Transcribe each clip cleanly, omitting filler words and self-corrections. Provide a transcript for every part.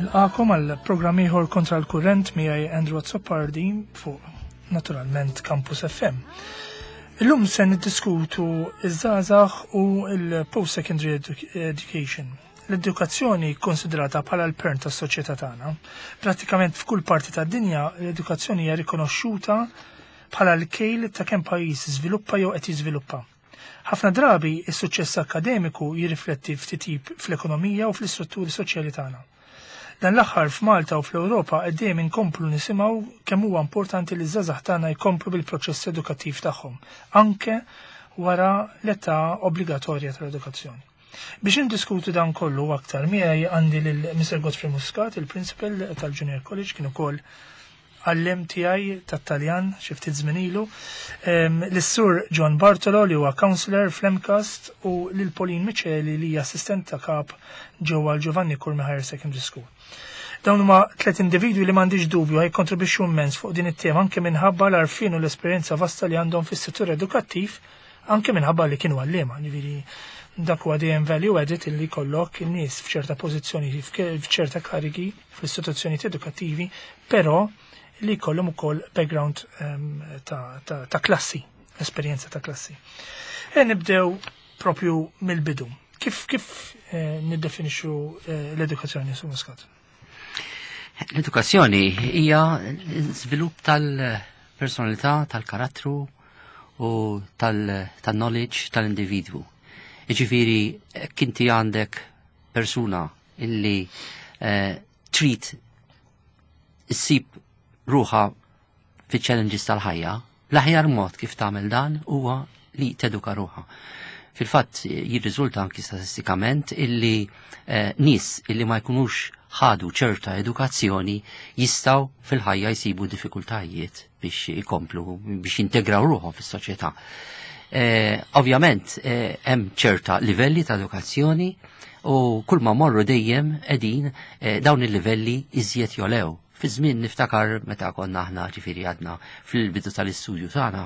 Nilqakom għal programm ieħor kontra l-kurrent miegħi Andrew Azzopardi fuq naturalment Campus FM. Illum se niddiskutu iż-żgħażagħ u l-post-secondary education. L-edukazzjoni konsidrata bħala l-pern tas-soċjetà tagħna. Prattikament f'kull parti tad-dinja l-edukazzjoni hija rikonoxxuta bħala l-kejl ta' kemm pajjiż żviluppa jew qed jiżviluppa. Ħafna drabi is-suċċess akkademiku jirrifletti f'titjib fl-ekonomija u fl-istrutturi soċjali tagħna. Dan l-aħħar f'Malta u fl-Ewropa qed dejjem inkomplu nisimgħu kemm huwa importanti li ż-żgħażagħ tagħna jkomplu bil-proċess edukattiv tagħhom, anke wara l-età obbligatorja tal-edukazzjoni. Biex indiskutu dan kollu aktar miegħi għandi lil Mr. Godfrey Muscat, il-Principal tal-Junior College, kien ukoll għalliem tiegħi tat-Taljan xi ftit żmien ilu, lis-Sur John Bartolo li huwa counselor fl-MCAST u lil Pauline Miceli li hija assistent ta' kap ġewwa l-Giovanni Curmi Higher Secondary School. Dawn huma tliet individwi li m'għandix dubju ħajkontribwixxu immens fuq din it-tema anke minħabba l-għarfien u l-esperjenza vasta li għandhom fis-settur edukattiv anke minħabba li kienu għalliema, ġifieri dak huwa dejjem value added illi jkollok in-nies f'ċerta pożizzjoni f'ċerta karigi fl-istituzzjonijiet edukattivi, però li jkollhom ukoll background ta', ta, ta klassi, esperjenza ta' klassi. E nibdew propju mill-bidu. Kif kif eh, niddefinixxu eh, l-edukazzjoni su Muscat? L-edukazzjoni hija żvilupp tal-personalità, tal-karattru u tal-knowledge tal-individwu. Iġifieri kinti għandek persuna illi eh, trid issib ruħa fi challenges tal-ħajja, l-aħjar mod kif tagħmel dan huwa li teduka ruħa. Fil-fatt jirriżulta anki statistikament illi eh, nies illi ma jkunux ħadu ċerta edukazzjoni jistaw fil-ħajja jsibu diffikultajiet biex ikomplu biex jintegraw ruħhom fis-soċjetà. Eh, ovvjament eh, hemm ċerta livelli ta' edukazzjoni u kull ma morru dejjem qegħdin eh, dawn il-livelli iżjed jolew. Fi żmien niftakar meta konna aħna ġifieri għadna fil-bidu tal-istudju tagħna,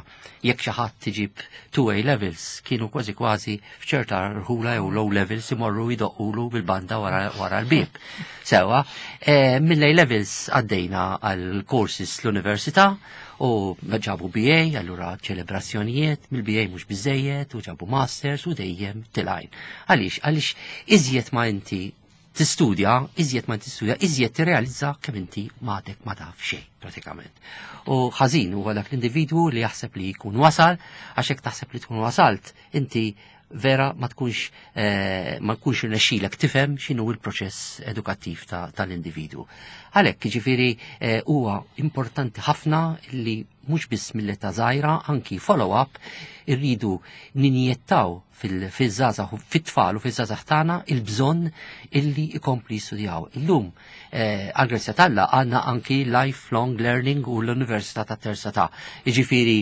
jekk xi ħadd tiġib 2A levels kienu kważi kważi f'ċerta rħula jew low levels imorru jdoqqulu bil-banda wara, wara l-bieb. Sewa, eh, mill-A levels għaddejna għal courses l-università u ġabu BA, allura ċelebrazzjonijiet, mill-BA mhux biżejjed u ġabu masters u dejjem tilajn. Għaliex, għaliex iżjed ma inti tistudja, iżjed ma tistudja, iżjed tirrealizza kemm inti m'għadek ma taf xejn pratikament. U ħażin huwa dak l-individwu li jaħseb li jkun wasal, għax hekk taħseb li tkun wasalt, inti vera ma tkunx eh, ma tkunx irnexxilek tifhem x'inhu l-proċess edukattiv tal-individwu. Għalhekk jiġifieri eh, huwa importanti ħafna li mhux biss mill-età żgħira, anki follow-up irridu ninjettaw fil-żgħażagħ fit-tfal u fiż-żgħażagħ tagħna il-bżonn illi jkompli jistudjaw. Illum eh, għal-grazzja t'Alla għandna anki lifelong learning u l-Università ta' Terza ta' Jiġifieri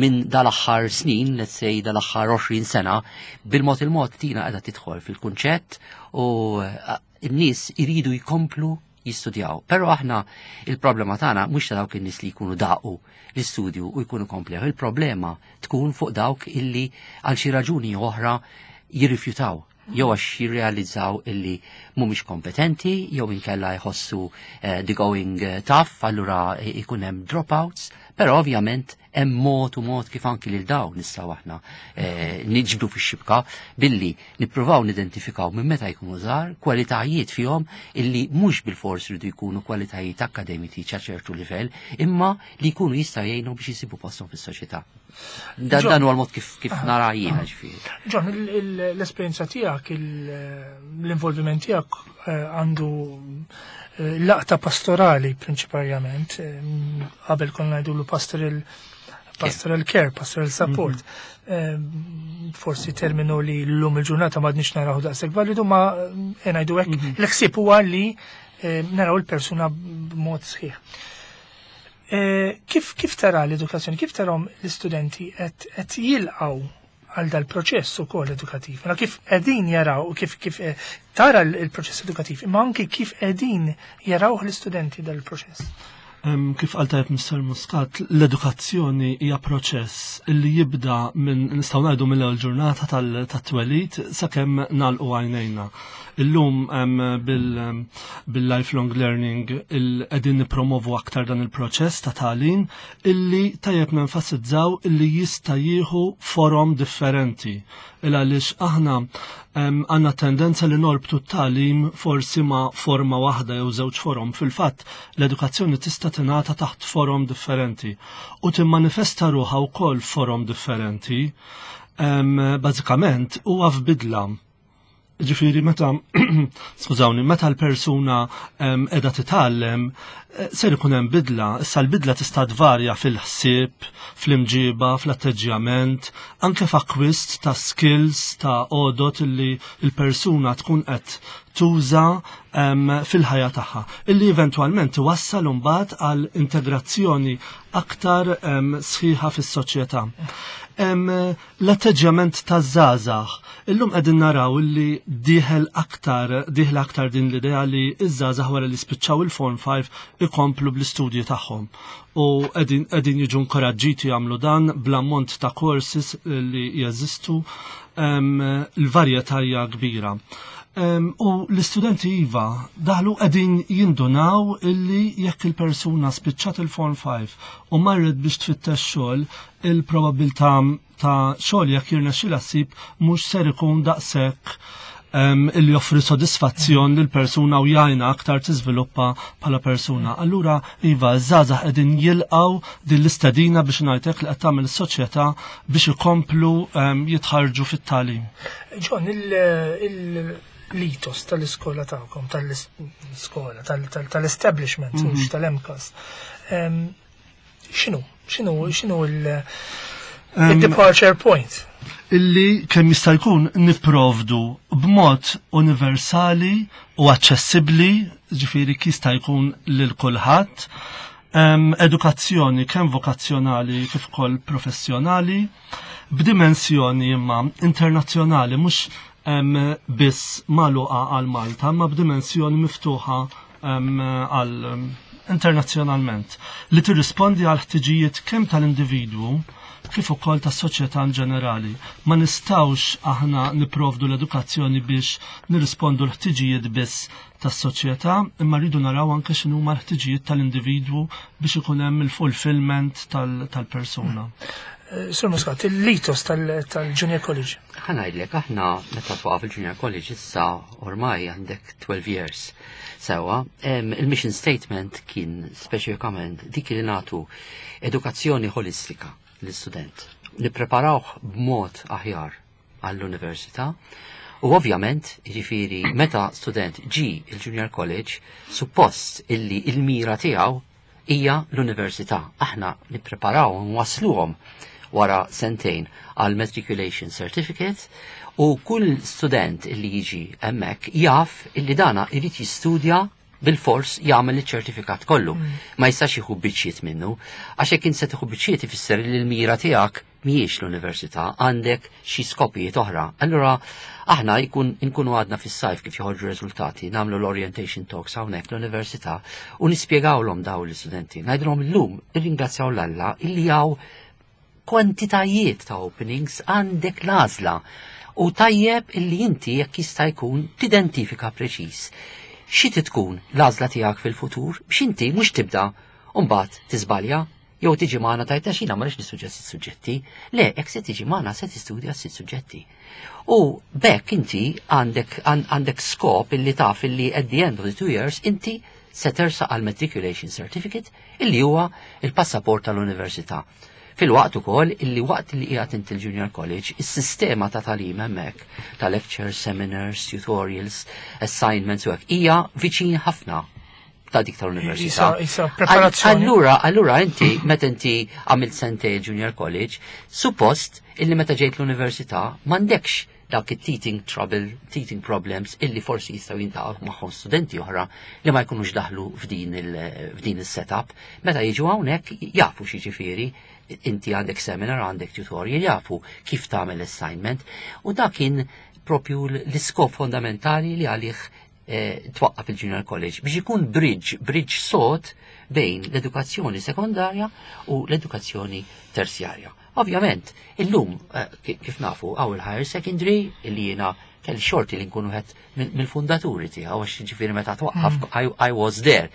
minn dal-aħħar snin, let's say dal-aħħar 20 sena, bil-mod il-mod tina qiegħda tidħol fil-kunċett u eh, n-nies iridu jkomplu jistudjaw. Però aħna il-problema tagħna mhux ta' dawk in-nies li jkunu daqu l-istudju u jkunu komplew. Il-problema tkun fuq dawk illi għal xi raġuni oħra jirrifjutaw jew għax jirrealizzaw illi mhumiex kompetenti, jew inkella jħossu eh, the going eh, tough, allura ikun hemm dropouts, però ovvjament hemm mod u mod kif anki lil dawn nistgħu aħna eh, niġbdu fix-xibka billi nippruvaw nidentifikaw minn meta jkunu żgħar kwalitajiet fihom illi mhux bil-fors ridu jkunu kwalitajiet akademiċi ċa ċertu livell, imma li jkunu jistgħu jgħinu biex jisibu posthom fis-soċjetà. Dan dan huwa l-mod kif kif nara jiena ġifieri. John, l-esperjenza tiegħek, l-involviment tiegħek eh, għandu eh, laqta pastorali prinċiparjament, eh, qabel konna ngħidulu pastoral pastoral care, pastoral support. Forsi terminu li l-lum il-ġurnata m'għadniex naraw daqshekk validu, ma ngħidu hekk. L-ħsieb huwa li naraw il-persuna b'mod sħiħ. Kif kif tara l-edukazzjoni, kif tarahom l-istudenti qed jilqgħu għal dal-proċess ukoll edukattiv? Mela kif qegħdin jaraw kif kif eh, tara l-proċess edukattiv, imma anki kif qegħdin jaraw l-istudenti dal-proċess. Kif qal tajjeb Mr. Muscat, l-edukazzjoni hija proċess li jibda minn nistgħu ngħidu mill-ewwel ġurnata tat-twelid sakemm nagħlqu għajnejna. Illum bil-lifelong learning qegħdin nippromovu aktar dan il-proċess ta' tagħlim illi tajjeb nenfasizzaw illi jista' jieħu forom differenti. Il għaliex aħna għandna tendenza li norbtu t-tagħlim forsi ma' forma waħda jew żewġ forom. Fil-fatt, l-edukazzjoni tista' tingħata taħt forom differenti u timmanifesta ruħha wkoll forom differenti. Bażikament huwa f'bidla. Ġifieri meta skużawni, meta l-persuna qiegħda titgħallem ser ikun hemm bidla, issa l-bidla tista' tvarja fil-ħsieb, fl-imġiba, fl-atteġġjament, anke f'akkwist ta' skills ta' għodot illi l-persuna tkun qed tuża fil-ħajja tagħha, illi eventwalment iwassal imbagħad għal integrazzjoni aktar sħiħa fis-soċjetà. L-atteġġjament taż-żgħażagħ. Illum qegħdin naraw illi dieħel aktar, dieħla aktar din l-idea li ż-żgħażagħ wara li spiċċaw il-Form 5 ikomplu bl-istudji tagħhom. U qegħdin jiġu inkoraġġiti jagħmlu dan bl-ammont ta' courses li jeżistu, l-varjetà hija kbira. U l-istudenti iva daħlu qegħdin jindunaw illi jekk il-persuna spiċċat il-Form 5 u marret biex tfittex xogħol, il-probabilità ta' xogħol jekk jirnexxilha ssib mhux ser ikun daqshekk illi joffri sodisfazzjon lil persuna u jgħinha aktar tiżviluppa bħala persuna. Allura iva, żgħażagħ qegħdin jilqgħu din l-istedina biex ngħidlek li qed tagħmel is-soċjetà biex ikomplu jitħarġu fit-tagħlim. John, l-ethos tal-iskola tagħkom, tal-iskola, tal-establishment, mhux tal-MCAST. X'inhu? X'inhu il-departure point? Illi kemm jista' jkun nipprovdu b'mod universali u aċċessibbli, ġifieri jista' jkun lil kulħadd, edukazzjoni kemm vokazzjonali kif ukoll professjonali, b'dimensjoni imma internazzjonali, mhux biss magħluqa għal Malta, imma b'dimensjoni miftuħa għal internazzjonalment, li tirrispondi għal ħtiġijiet kemm tal-individwu kif ukoll tas-soċjetà in ġenerali. Ma nistgħux aħna nipprovdu l-edukazzjoni biex nirrispondu l-ħtiġijiet biss tas-soċjetà, imma rridu naraw anke x'inhuma l-ħtiġijiet tal-individwu biex ikun hemm il-fulfillment tal-persuna. Sur Muscat, il-ethos tal-Junior College. Ħa ngħidlek, aħna meta twaqqaf il-Junior College issa ormai għandek 12 years. Sewa, il-mission statement kien speċifikament dik li nagħtu edukazzjoni ħolistika l-istudent. Nippreparawh b'mod aħjar għall-università. U ovvjament, jiġifieri, meta student ġi il-Junior College, suppost illi il-mira tiegħu hija l-università. Aħna nippreparaw nwasluhom wara sentejn għal matriculation certificate u kull student illi jiġi hemmhekk jaf illi dana irid jistudja bil-fors jagħmel iċ-ċertifikat kollu. Ma jistax jieħu biċċiet minnu, għax jekk int se tieħu biċċiet ifisser li l-mira tiegħek mhijiex l-università, għandek xi skopijiet oħra. Allura aħna jkun inkunu għadna fis-sajf kif joħorġu riżultati, nagħmlu l-orientation talks hawnhekk l-università u nispjegawlhom dawn l-istudenti. Ngħidulhom illum irringrazzjaw l-Alla illi hawn kwantitajiet ta' openings, għandek l-għażla. U tajjeb illi inti jekk jista' jkun tidentifika preċiż xi tkun l-għażla tiegħek fil-futur biex inti mhux tibda u mbagħad tiżbalja jew tiġi magħna tgħid għax jiena ma rridx nistudja sitt suġġetti. Le, jekk se tiġi magħna se tistudja sitt suġġetti. U bekk inti għandek skop illi taf illi at the end of the 2 years inti se tersaq għal matriculation certificate illi huwa il-passaport tal-università. Fil-waqt ukoll illi waqt li qiegħed inti l-Junior College, is-sistema ta' tagħlim hemmhekk ta' lectures, seminars, tutorials, assignments u hekk hija viċin ħafna ta' dik tal-università. Isa preparazzjoni. Allura inti meta inti għamilt sentej Junior College, suppost illi meta ġejt l-università m'għandekx dak it-teething trouble, teething problems illi forsi jistgħu jiltaqgħu magħhom studenti oħra li ma jkunux daħlu f'din il-setup. Meta jiġu hawnhekk jafu x'jiġifieri, inti għandek seminar, għandek tutorial, jafu kif tagħmel assignment u dak kien propju l-iskop fondamentali li għalih twaqqaf il-Junior College biex ikun bridge sod bejn l-edukazzjoni sekondarja u l-edukazzjoni terzjarja. Ovvjament, illum kif nafu hawn il-higher secondary illi jiena Kelli xorti li nkun wieħed mill-fundaturi tiegħu għax ġifieri meta twaqqaf I was there.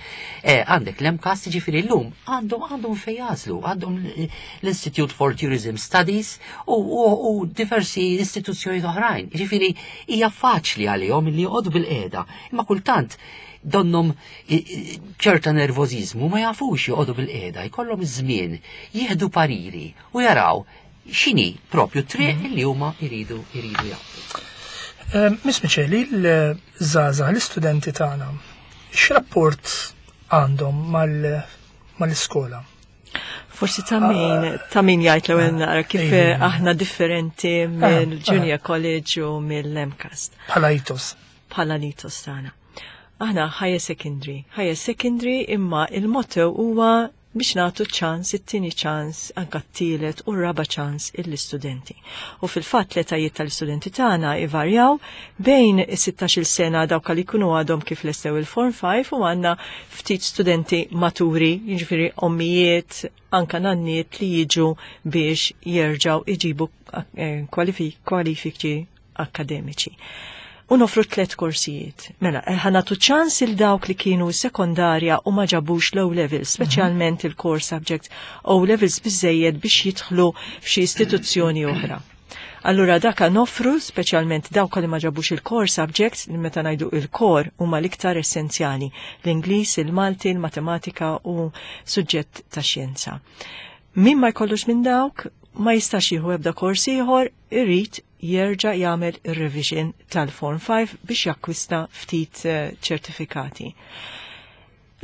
Għandek l-MCAST, ġifieri llum għandhom fejn jagħżlu, għandhom l-Institute for Tourism Studies u diversi istituzzjoni oħrajn. Ġifieri hija faċli għalihom li joqogħdu bil-qiegħda, imma kultant donnom ċerta nervożiżmu, ma jafux joqogħdu bil-qiegħda, jkollhom iż-żmien, jieħdu pariri u jaraw x'inhi propju triq li huma jridu jagħmlu. Miss Micheli, l-żgħażagħ, l-istudenti tagħna, x'rapport għandhom mal-iskola? Forsi ta' min jgħid l-ewwel naqra kif aħna differenti mill-Junior College u mill-MCAST. Bħala ethos. Bħala l-ethos tagħna. Aħna higher secondary, higher secondary, imma il-motto huwa biex nagħtu ċans, it-tieni ċans, anka t-tielet u r-raba ċans l-istudenti. U fil-fatt l-etajiet tal-istudenti tagħna ivarjaw bejn is-16 sena, dawk li jkunu għadhom kif lestew il-Form 5, u għandna ftit studenti maturi, jiġifieri ommijiet, anka nanniet li jiġu biex jerġgħu iġibu kwalifiki akkademiċi. U nofru tlet korsijiet. Mela, ħa nagħtu ċans lil dawk li kienu sekondarja u ma ġabux l-O levels, speċjalment il-core subjects O levels biżejjed biex jidħlu f'xi istituzzjoni oħra. Allura daka nofru speċjalment dawk li ma ġabux il-core subjects, li meta ngħidu il-core huma l-iktar essenzjali, l-Ingliż, il-Malti, il-Matematika u suġġett ta' xjenza. Min ma jkollux minn dawk, ma jistax jieħu ebda kors ieħor, irid jerġa' jagħmel ir-revision tal-Form 5 biex jakkwista ftit ċertifikati.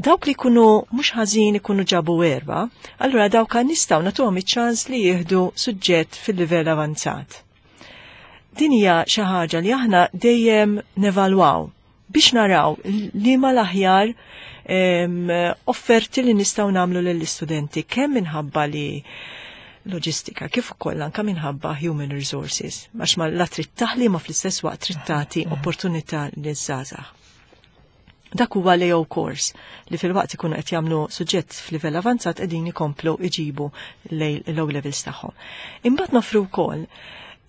Dawk li kunu mhux ħażin, ikunu ġabu erba, allura dawk nistgħu nagħtuhom iċ-ċans li jieħdu suġġett fil-livell avanzat. Din hija xi ħaġa li aħna dejjem nevalwaw biex naraw li ma l-aħjar offerti li nistgħu nagħmlu lill-istudenti, kemm minħabba li loġistika kif ukoll anka minħabba human resources, għax ma la trid taħli ma fl-istess waqt trid tagħti opportunità liż-żgħażagħ. Dak huwa l-AO course li fil-waqt ikunu qed jagħmlu suġġett f'livell avanzat qegħdin ikomplu iġibu l-O levels tagħhom. Imbagħad nofru wkoll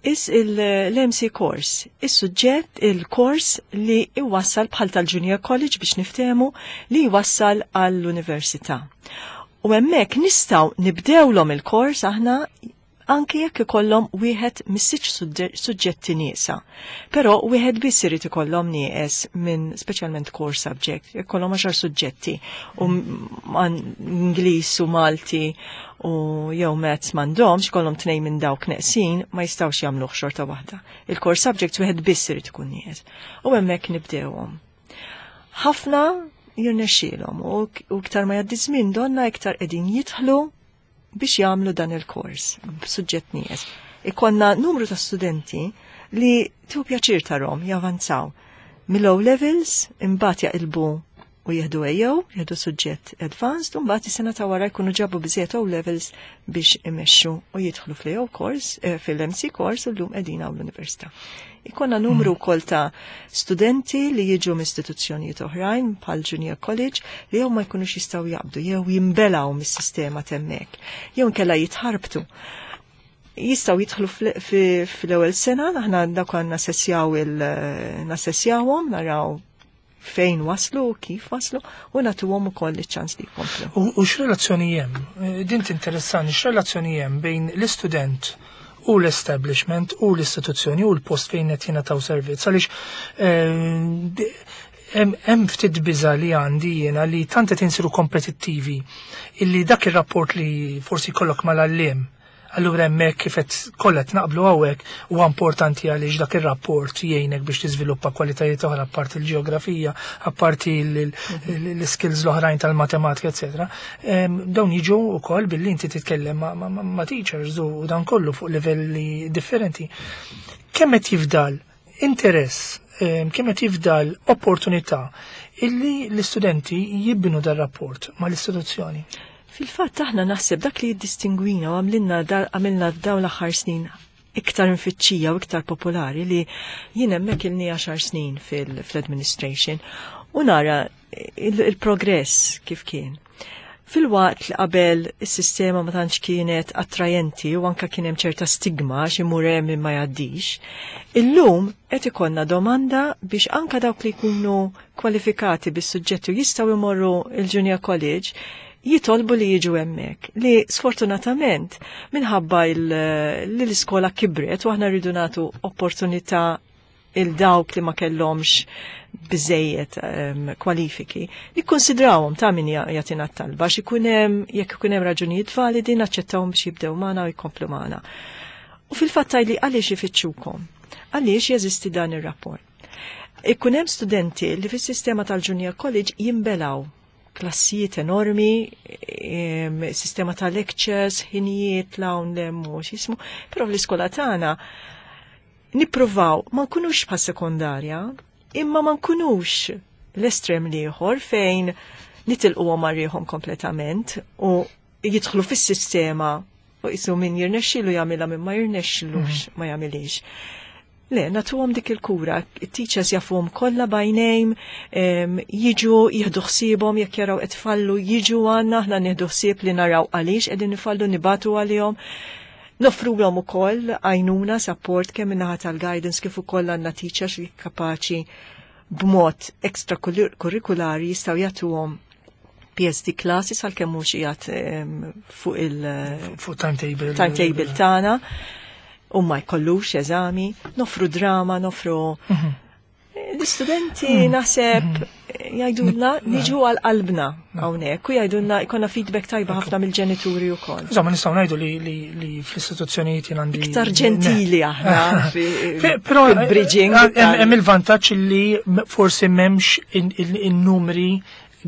is l-MC course, is-suġġett, il-kors li iwassal bħal tal-Junior College, biex niftehmu, li jwassal għall-università. U hemmhekk nistgħu nibdewlhom il-kors aħna anke jekk ikollhom wieħed mis-sitt suġġetti nieqsa. Però wieħed biss irid ikollhom nieqes minn speċjalment core subject, jekk ikollhom 10 suġġetti u Ingliż u Malti u jew Maths m'għandhomx, ikollhom tnejn minn dawk neqsin, ma jistgħux jagħmluh xorta waħda. Il-core subjects wieħed biss irid ikun nieqes. U hemmhekk nibdewhom. Ħafna jirnexxielhom u iktar ma jgħaddi żmien donna iktar qegħdin jidħlu biex jagħmlu dan il-kors b'suġġett nieqes. Ikonna numru ta' studenti li tieħu pjaċir tarahom javanzaw mill-O levels, imbagħad jaqilbu u jieħdu AO, jieħdu suġġett advanced, u mbagħad is-sena ta' wara jkunu ġabu biżejjed O levels biex imexxu u jidħlu fl-AO course, fil-MC course, u llum qegħdin hawn l-università. Ikonna numru wkoll ta' studenti li jiġu minn istituzzjonijiet oħrajn bħal Junior College li jew ma jkunux jistgħu jaqbdu jew jimbelaw mis-sistema t'hemmhekk, jew inkella jitħarbtu, jistgħu jidħlu fl-ewwel sena, aħna dak nassessjaw il nassessjawhom, naraw fejn waslu, kif waslu, u nagħtuhom ukoll iċ-ċans li jkomplu. U x'relazzjoni hemm? Din tinteressani, x'relazzjoni hemm bejn l-istudent u l-establishment u l-istituzzjoni u l-post fejn qed jingħataw servizz? Għaliex hemm ftit biża li għandi jiena li tant qed insiru kompetittivi illi dak ir-rapport li forsi jkollok mal-għalliem. Allura hemmhekk, kif qed kollha qed naqblu hawnhekk, huwa importanti għaliex dak ir-rapport jgħinek biex tiżviluppa kwalitajiet oħra apparti l-ġeografija, apparti l-skills l-oħrajn tal-matematika, eċetera. Dawn jiġu wkoll billi inti titkellem ma' teachers u dan kollu fuq livelli differenti. Kemm qed jifdal interess, kemm qed jifdal opportunità illi l-istudenti jibnu dar rapport mal-istituzzjoni? Fil-fatt aħna naħseb dak li jiddistingwina u għamilna dawn l-aħħar snin iktar mfittxija u iktar popolari, li jien hemmhekk ilni 10 snin fil-administration u nara il-progress kif kien. Filwaqt li qabel is-sistema ma tantx kienet attrajenti u anka kien hemm ċerta stigma xi mur hemm ma jgħaddix, illum qed ikollna domanda biex anka dawk li jkunu kwalifikati bis-suġġetti u jistgħu jmorru il-Junior College jitolbu li jiġu hemmhekk. Li sfortunatament minħabba li l-iskola kibret u aħna rridu nagħtu opportunità il dawk li ma kellhomx biżejjed kwalifiki, nikkonsidrawhom ta' min jagħtina t-talba xi ikun hemm, jekk ikun hemm raġunijiet validi, naċċettawhom biex jibdew magħna u jkomplu magħna. U fil-fatt li għaliex ifittxukom? Għaliex jeżisti dan ir-rapport? Ikun hemm studenti li fis-sistema tal-Junior College jimbelaw klassijiet enormi, sistema ta' lectures, ħinijiet l-hawn l-hemm u x'jismu, però fl-iskola tagħna nippruvaw ma nkunux bħal sekondarja, imma ma nkunux l-estrem l-ieħor fejn nitilquhom għarriħom kompletament u jidħlu fis-sistema u jisu min jirnexxilu jagħmilha, min ma jirnexxilux ma jagħmilix. Le, nagħtuhom dik il-kura, it-teachers jafuhom kollha by name, jiġu jieħdu ħsiebhom jekk jaraw qed fallu, jiġu għandna, aħna nieħdu ħsieb li naraw għaliex qegħdin nifallu, nibatu għalihom. Noffrulhom ukoll għajnuna, support kemm min-naħa tal-guidance kif ukoll għandna teachers li kapaċi b'mod extracurriculari jistgħu jagħtuhom PSD classes għalkemm mhux qiegħed fuq il- Fuq timetable. Timetable tagħna u ma jkollux eżami, nofru drama, nofru l-istudenti naħseb jgħidulna niġu għal qalbna hawnhekk u jgħidulna jkollna feedback tajba ħafna mill-ġenituri wkoll. Insomma, nistgħu ngħidu li fl-istituzzjonijiet jien għandi Iktar ġentili aħna Però fil-bridging. Hemm il-vantaġġ li forsi m'hemmx in-numri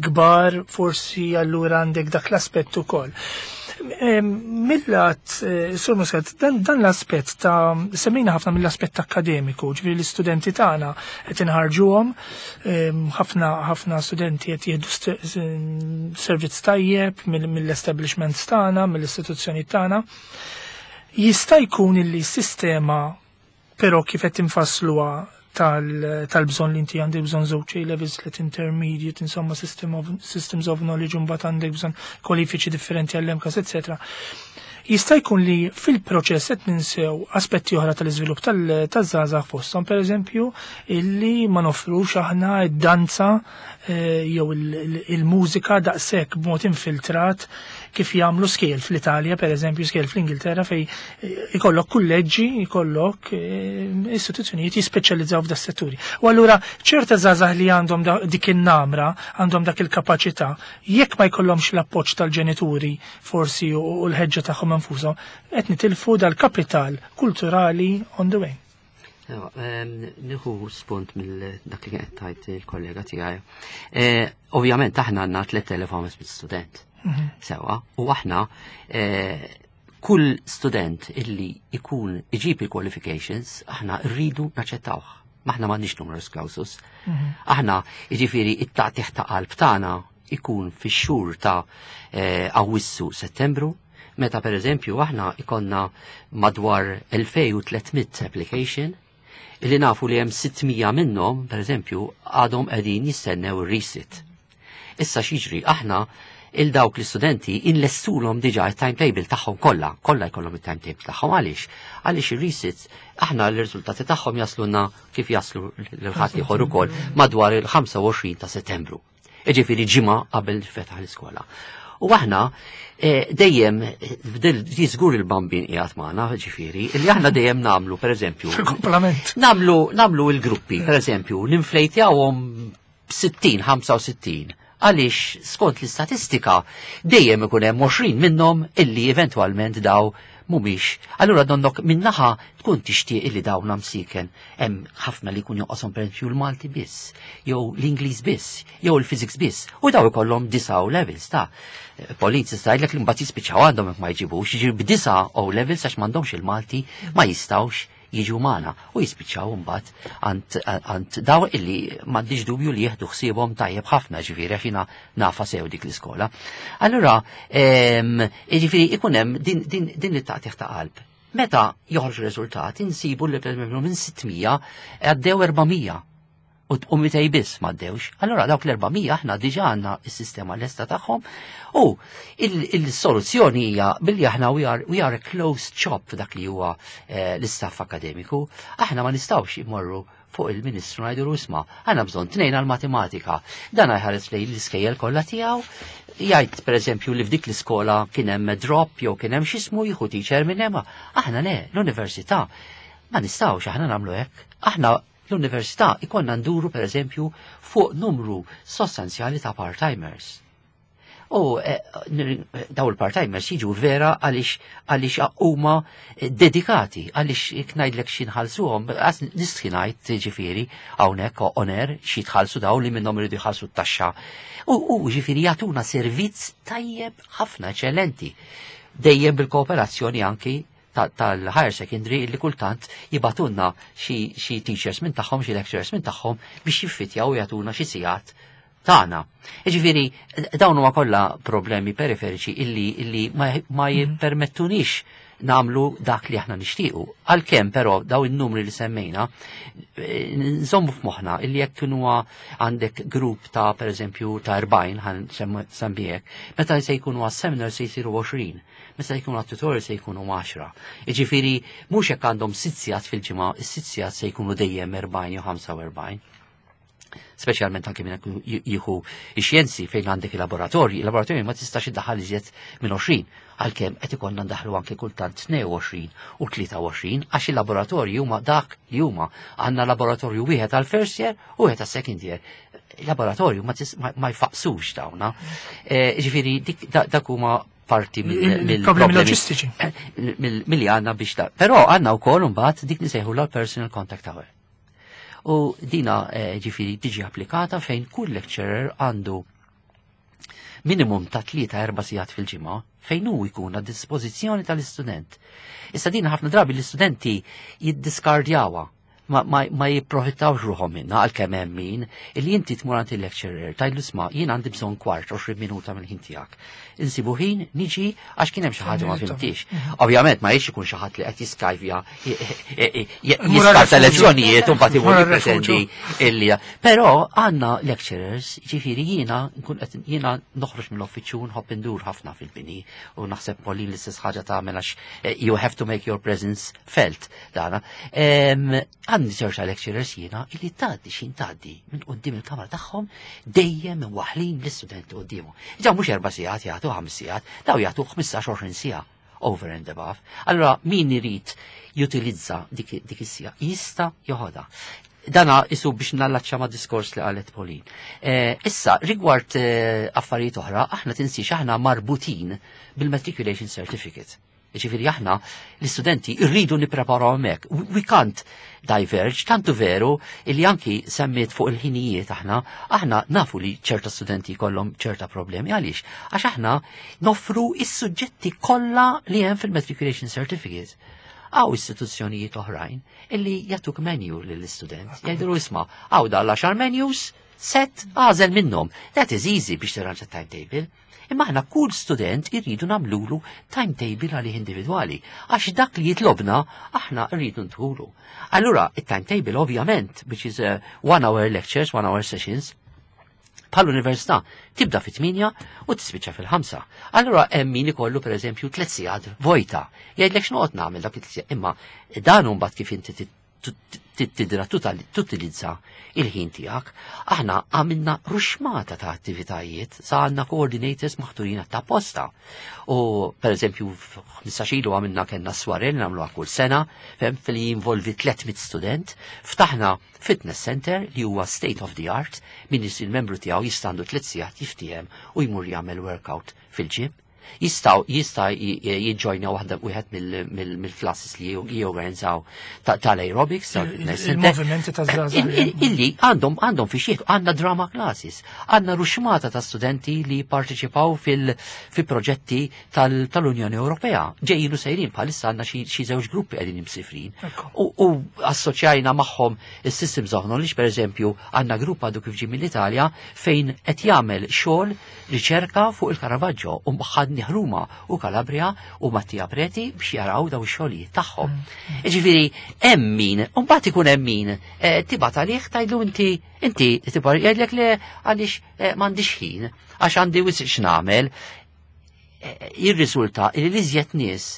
kbar, forsi allura għandek dak l-aspett ukoll. Millat, Sur Muscat, dan l-aspett ta' semmejna ħafna mill-aspett akkademiku, ġifieri l-istudenti tagħna qed inħarġuhom, ħafna ħafna studenti qed jieħdu servizz tajjeb mill-establishments tagħna, mill-istituzzjoni tagħna. Jista' jkun illi s-sistema però kif qed infassluha tal-bżonn li inti għandek bżonn żewġ A levels, let intermediate, insomma systems of knowledge, mbagħad għandek bżonn kwalifiċi differenti għall-MCAST, etc. Jista' jkun li fil-proċess qed ninsew aspetti oħra tal-iżvilupp taż-żgħażagħ, fosthom pereżempju illi ma nofrux aħna id-danza jew il-mużika daqshekk b'mod infiltrat kif jagħmlu skejjel fl-Italja, pereżempju skejjel fl-Ingilterra, fej ikollok kulleġġi, ikollok istituzzjonijiet jispeċjalizzaw f'da setturi. U allura ċerta żgħażagħ li għandhom dik in-namra, għandhom dak il-kapaċità, jekk ma jkollhomx l-appoġġ tal-ġenituri forsi u l-ħeġġa tagħhom infushom, qed nitilfu dal-kapital kulturali on the way. Nieħu spunt mill dak li kienet tajt il-kollega tiegħi. Ovvjament aħna għandna 3500 student. Sewa, u aħna kull student illi ikun iġib il-qualifications, aħna rridu naċċettawh. Maħna m'għandniex numerus clausus. Aħna, jiġifieri, it-taqtigħ ta' qalb tagħna ikun fix-xhur ta' Awwissu, Settembru, meta per eżempju aħna ikonna madwar 2300 application, illi nafu li hemm 600 minnhom, per eżempju, għadhom qegħdin jistennew ir-resit. Issa x'jiġri, aħna il-dawk l-istudenti inlestulhom diġà il-timetable tagħhom kollha, kollha jkollhom il-timetable tagħhom. Għaliex? Għaliex ir-resits aħna l-riżultati tagħhom jasluna kif jaslu lil ħadd ieħor ukoll madwar il-25 ta' Settembru. Jiġifieri ġimgħa qabel fetaħ l-iskola. U aħna dejjem di żgur il-bambin qiegħed magħna, ġifieri, li aħna dejjem nagħmlu, pereżempju, Fil-komplement. nagħmlu il-gruppi, pereżempju, ninflejtjawhom 60, 65. Għaliex skont l-istatistika dejjem ikun hemm 20 minnhom illi eventwalment daw mhumiex. Allura donnok minnaħa tkun tixtieq illi dawn msiken hemm ħafna li jkun jonqoshom, pereżempju, l-Malti biss, jew l-Ingliż biss, jew il-Physics biss, u daw ikollhom 9 O levels ta' Pauline tista' jgħidlek li mbagħad jispiċċaw għandhom jekk ma jġibux, jiġri b'disa' O levels għax m'għandhomx il-Malti ma jistgħux jiġu magħna u jispiċċaw mbagħad għand daw illi m'għandix dubju li jieħdu ħsiebhom tajjeb ħafna, ġifieri għax jiena nafa sew dik l-iskola. Allura, jiġifieri ikun hemm din it-taqtigħ ta' qalb. Meta joħorġu riżultati insibu li pereżempju minn 600 għaddew 400. U 200 biss m'għaddewx. Allora dawk l-400 aħna diġà għandna s-sistema lesta tagħhom u il-soluzzjoni hija billi aħna we are a closed shop f'dak li huwa l-istaff akademiku. Aħna ma nistgħux immorru fuq il-Ministru ngħidu, "Isma', għandna bżonn tnejn għal-matematika." Dan jħares lejn l-iskejjel kollha tiegħu, jgħid pereżempju li f'dik l-iskola kien hemm drop jew kien hemm x'ismu, jieħu teacher minn hemm. Aħna le, l-università ma nistgħux aħna nagħmlu hekk. Aħna l-università ikollna nduru pereżempju fuq numru sostanzjali ta' part-timers. U daw il-part-timers jiġu vera għaliex huma dedikati, għaliex jekk ngħidlek xi nħallsuhom, nistħi ngħid, ġifieri hawnhekk on air xi tħallsu daw li minnhom iridu jħallsu t-taxxa. U ġifieri jagħtuna servizz tajjeb ħafna, eċċellenti. Dejjem bil-kooperazzjoni anki tal-higher secondary li kultant jibagħtulna xi teachers minn tagħhom, xi lecturers minn tagħhom biex jiffitjaw u jagħtuna xi sigħat tagħna. Ġifieri dawn huma kollha problemi periferiċi illi ma jippermettunix nagħmlu dak li aħna nixtiequ. Għalkemm però daw in-numri li semmejna, nżommu f'moħħna illi jekk kienu għandek grupp ta' pereżempju ta' 40, ħa nsemmihek, meta se jkunu għas-seminar se jsiru 20, meta jkunu għat-tutorial se jkunu 10. Jiġifieri mhux jekk għandhom 6 sigħat fil-ġimgħa, is-6 sigħat se jkunu dejjem 40 jew 45, speċjalment anke minn jieħu ix-xjenzi fejn għandek il-laboratorji. Il-laboratorji ma tistax iddaħħal iżjed minn 20, għalkemm qed ikollna ndaħlu anke kultant 22 u 23 għax il-laboratorji huma dak li huma. Għandna laboratorju wieħed għal first year u wieħed għal second year. Laboratorju ma jfaqsux dawna. Ġifieri dak huma parti mill-problemi loġistiċi. Milli għandna biex da. Però għandna wkoll imbagħad dik li sejħu l-personal contact hour. U dina ġifieri tiġi applikata fejn kull lecturer għandu minimum ta' 3-4 sigħat fil-ġimgħa fejn hu jkun għad dispożizzjoni tal-istudent. Issa din ħafna drabi l-istudenti jiddiskardjawha, ma jipprofittawx ruħhom minna, għalkemm hemm min illi inti tmur għand il-lecturer tgħidlu, "Isma', jien għandi bżonn kwart, 20 minuta mill-ħin tiegħek. Insibu ħin niġi għax kien hemm xi ħaġa ma fhimtix." Ovvjament ma jiex ikun xi ħadd li qed jiskajvja, jiskarta lezzjonijiet u mbagħad imur jippretendi illi. Però għandna lecturers, ġifieri jiena nkun qed jiena noħroġ mill-uffiċċju, nħobb indur ħafna fil-bini u naħseb Pauline l-istess ħaġa tagħmel għax you have to make your presence felt dana. Għandi ċerta lecturers jiena illi tgħaddi xin tgħaddi minn quddiem il-kamra tagħhom dejjem waħlin l-istudenti quddiemu. Ġa mhux 4 sigħat jagħtu, 5 sigħat, daw jagħtu 15-20 siegħa over and above. Allora min irid jutilizza dik is-siegħa jista' joħodha. Dana isu biex nallaċċa ma' diskors li qalet Pauline. Issa, rigward affarijiet oħra, aħna tinsiex aħna marbutin bil-matriculation certificate. Ġifieri aħna l-istudenti rridu nippreparaw hemmhekk. We can't diverge, tantu veru illi anki semmiet fuq il-ħinijiet aħna nafu li ċerta studenti kollhom ċerta problemi. Għaliex? Għax aħna noffru is-suġġetti kollha li hemm fil-matriculation certificate. Hawn istituzzjonijiet oħrajn illi jagħtuk menu lill-istudent. Jgħidu, "Isma', hawn dal-10 menus, set, għażel minnhom." That is easy biex tirranġa timetable. Imma aħna kull student irridu nagħmlulu timetable għalih individwali, għax dak li jitlobna aħna rridu ntuhulu. Allura, il-timetable ovvjament, which is one hour lectures, one hour sessions, bħal università tibda fit-8 u tispiċċa fil-5. Allura hemm min ikollu pereżempju 3 sigħat vojta. Jgħidlek, "X'noqgħod nagħmel dak it-3 sigħat?" Imma dan mbagħad kif inti tidra tutilizza il-ħin tiegħek. Aħna għamilna ruxmata ta' attivitajiet, sa għandna coordinators maħturin ta' posta. U per eżempju, 15 ilu għamilna kellna soirée li nagħmluha kull sena, fem li jinvolvi 300 student, ftaħna fitness center li huwa state of the art, min isir membru tiegħu jistandu 3 sigħat jiftiehem u jmur jagħmel workout fil-gym. Jista' jiġġojna waħda wieħed mill-classes li jorganizzaw tal-aerobics, tal-fitness center. Il-movimenti ta' żgħażagħ. Illi għandhom fi xieħ, għandna drama classes, għandna ruxmata ta' studenti li parteċipaw fil-proġetti tal-Unjoni Ewropea. Ġejjin u sejrin, bħalissa għandna xi żewġ gruppi qegħdin imsifrin. U assoċjajna magħhom is-Systems of Knowledge, per eżempju, għandna grupp għadu kif ġie mill-Italja fejn qed jagħmel xogħol riċerka fuq il-Caravaggio u ħadni. stedinni Ruma u Kalabria u Mattia Preti biex jaraw daw ix-xogħlijiet tagħhom. Ġifieri hemm min, u mbagħad ikun hemm min eh, tibgħat għalih tgħidlu inti inti tibgħat jgħidlek le għaliex eh, m'għandix ħin għax għandi wisq x'nagħmel. Eh, jirriżulta li l-iżjed nies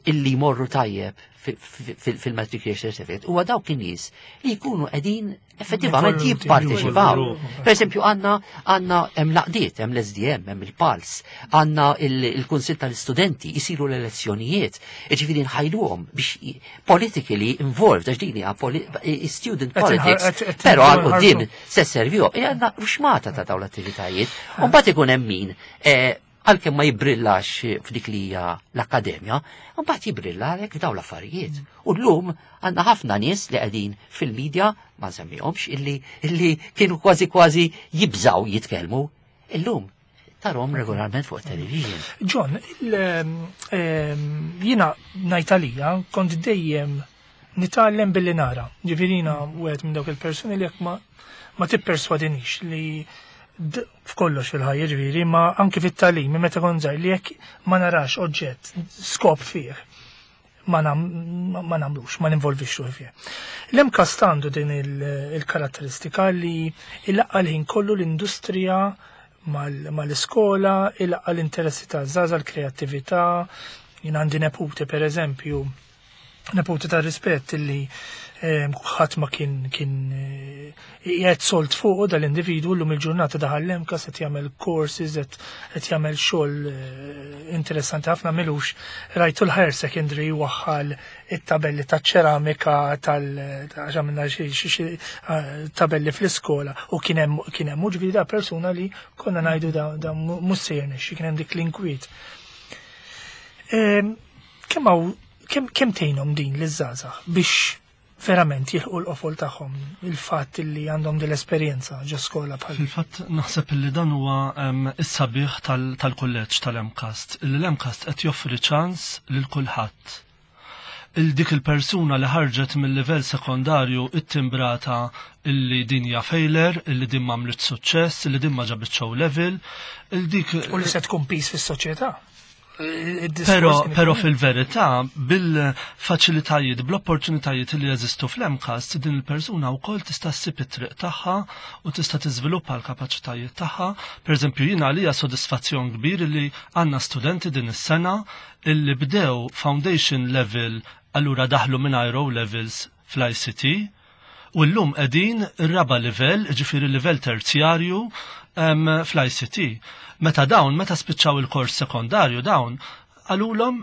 illi jmorru tajjeb fil-matriculation certificate huwa dawk in-nies li jkunu qegħdin effettivament jipparteċipaw. Per eżempju għandna għandna hemm laqdiet, hemm l-SDM, hemm il-PALS, għandna il-Kunsill tal-Istudenti, jisiru l-elezzjonijiet, jiġifieri nħajluhom biex politically involved, għax din hija student politics, però għal quddiem se servihom, għandna ruxmata ta' dawn l-attivitajiet. U mbagħad ikun hemm min eh, għalkemm ma jibrillax f'dik li hija l-akkademja, mbagħad jibrilla għalhekk f'dawn l-affarijiet. U llum għandna ħafna nies li qegħdin fil-medja, ma nsemmihomx, illi, illi kienu kważi kważi jibżaw jitkellmu. Illum tarahom regolarment fuq television. John, jiena ngħid kont dejjem nitgħallem billi nara. Ġifieri jiena wieħed minn dawk il-persuni li jekk ma ma tipperswadinix li f'kollox fil-ħajja ġifieri, ma anki fit-tagħlim, meta kont żgħir li jekk ma narax oġġett, skop fih, ma nagħmlux, ma ninvolvix ruħi fih. L-MCAST għandu din il-karatteristika li ilaqqa l-ħin kollu l-industrija mal-iskola, ilaqqa l-interessi ta' żgħażagħ, l-kreattività, jien għandi neputi per eżempju, neputi ta' rispett illi ħadd ma kien kien qiegħed sold fuq dal-individwu llum il-ġurnata daħal l-MCAST qed jagħmel courses qed jagħmel xogħol interessanti ħafna milux rajtu l-higher secondary waħħal it-tabelli ta' ċeramika tal għax għamilna xi tabelli fl-iskola u kien hemm kien hemm ġifieri da persuna li konna ngħidu da mhux se jirnexxi kien hemm dik l-inkwiet. Kemm hawn kemm tgħinhom din liż-żgħażagħ biex verament jilħqu l-qofol tagħhom il-fatt li għandhom din l-esperjenza ġo skola bħal. Fil-fatt naħseb li dan huwa is-sabiħ tal-kulleġġ tal-MCAST, illi l-MCAST qed joffri ċans lil kulħadd. Il dik il-persuna li ħarġet mill-livell sekondarju it-timbrata illi din hija failure, illi din m'għamlet suċċess, illi din ma ġabitx O level, il dik U li se tkun piż fis-soċjetà. Pero fil-verità, bil-faċilitajiet, bl-opportunitajiet li jeżistu fl-MCAST, din il-persuna wkoll tista' ssib it-triq tagħha u tista' tiżviluppa l-kapaċitajiet tagħha. Per eżempju, jiena għalija sodisfazzjon kbir li għandna studenti din is-sena illi bdew foundation level allura daħlu minn O levels fl-ICT u llum qegħdin ir-raba livell, ġifieri livell terzjarju fl-ICT. Meta dawn, meta spiċċaw il-kors sekondarju dawn, qalulhom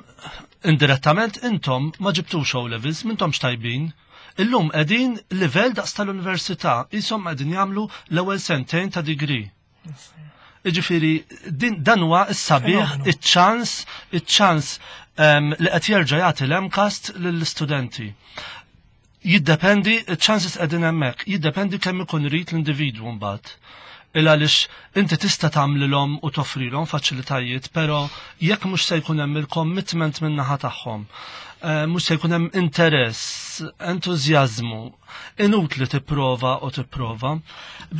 indirettament intom ma ġibtux O levels, m'intomx tajbin. Illum qegħdin livell daqs tal-università, qishom qegħdin jagħmlu l-ewwel sentejn ta' degree. Iġifieri, dan huwa s-sabiħ, iċ-ċans, iċ-ċans li qed jerġa' jagħti l-MCAST lill-istudenti. Jiddependi, iċ-chances qegħdin hemmhekk, jiddependi kemm ikun irid l-individwu mbagħad. Il għaliex inti tista' tagħmlilhom u toffrilhom faċilitajiet, però jekk mhux se jkun hemm il-commitment min-naħa tagħhom, mhux se jkun hemm interess, entużjażmu, inutli tipprova u tipprova.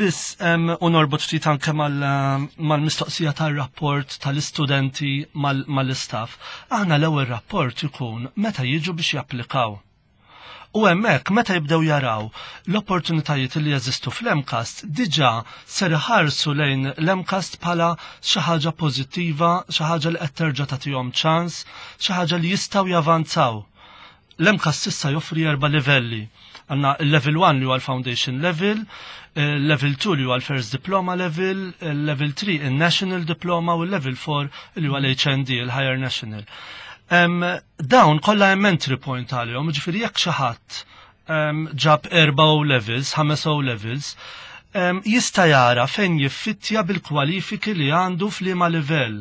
Biss u norbot ftit anke mal-mistoqsija tar-rapport tal-istudenti mal-istaff. Aħna l-ewwel rapport ikun meta jiġu biex japplikaw. U hemmhekk meta jibdew jaraw l-opportunitajiet li jeżistu fl-MCAST, diġà ser iħarsu lejn l-MCAST bħala xi ħaġa pożittiva, xi ħaġa li qed terġa' tagħtihom ċans, xi ħaġa li jistgħu javanzaw. L-MCAST issa joffri erba' livelli. Għandna il-level 1 li huwa l-foundation level, level 2 li huwa l-first diploma level, level 3 il-national diploma u level 4 li huwa l-HND, il-higher national. Dawn kollha hemm entry point għalihom, ġifieri jekk xi ħadd ġab erba' O levels, ħames O levels, jista' jara fejn jiffittja bil-kwalifiki li għandu f'liema livell.